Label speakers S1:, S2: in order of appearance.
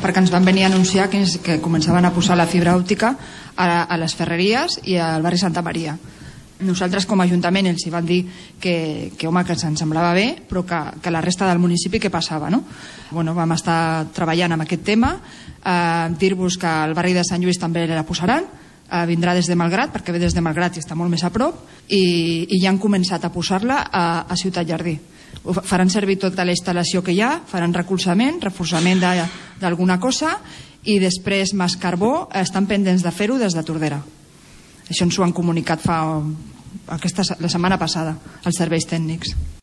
S1: perquè ens van venir a anunciar que començaven a posar la fibra òptica a les Ferreries i al barri Santa Maria. Nosaltres com a Ajuntament els hi van dir que home, que ens semblava bé, però que la resta del municipi què passava, no? Bueno, vam estar treballant amb aquest tema, dir-vos que el barri de Sant Lluís també la posaran, vindrà des de Malgrat, perquè ve des de Malgrat i està molt més a prop, i ja han començat a posar-la a Ciutat Jardí. Faran servir tota la instal·lació que hi ha, faran recolzament, reforçament d'alguna cosa, i després Mascarbó estan pendents de fer-ho des de Tordera. Això ens ho han comunicat la setmana passada, els serveis tècnics.